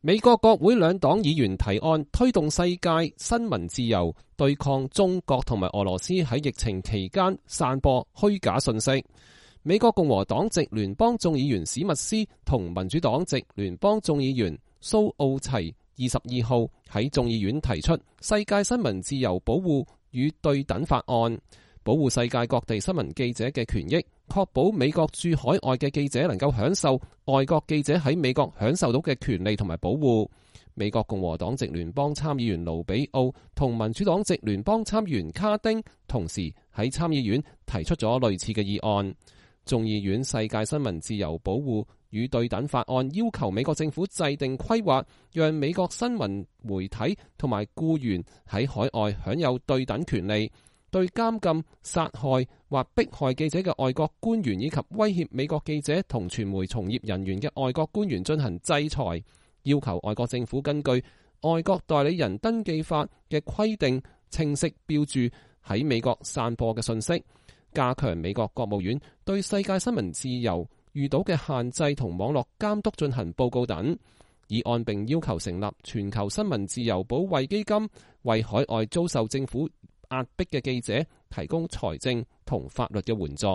美國國會兩黨議員提案推動世界新聞自由，對抗中國同埋俄羅斯喺疫情期間散播虛假信息。美國共和黨籍聯邦眾議員史密斯同民主黨籍聯邦眾議員蘇奧齊22號喺眾議院提出世界新聞自由保護與對等法案，保護世界各地新聞記者嘅權益，確保美國駐海外嘅記者能夠享受外國記者喺美國享受到嘅權利同埋保護。美國共和黨籍聯邦參議員盧比奧同民主黨籍聯邦參議員卡丁同時喺參議院提出咗類似嘅議案。眾議院世界新聞自由保護與對等法案要求美國政府制定規劃，讓美國新聞媒體同埋僱員喺海外享有對等權利，對監禁、殺害或迫害記者嘅外國官員以及威脅美國記者同傳媒從業人員嘅外國官員進行制裁，要求外國政府根據外國代理人登記法嘅規定，清晰標註喺美國散播嘅信息，加強美國國務院對世界新聞自由遇到嘅限制同網絡監督進行報告等。議案並要求成立全球新聞自由保衛基金，為海外遭受政府壓迫嘅記者提供財政同法律嘅援助。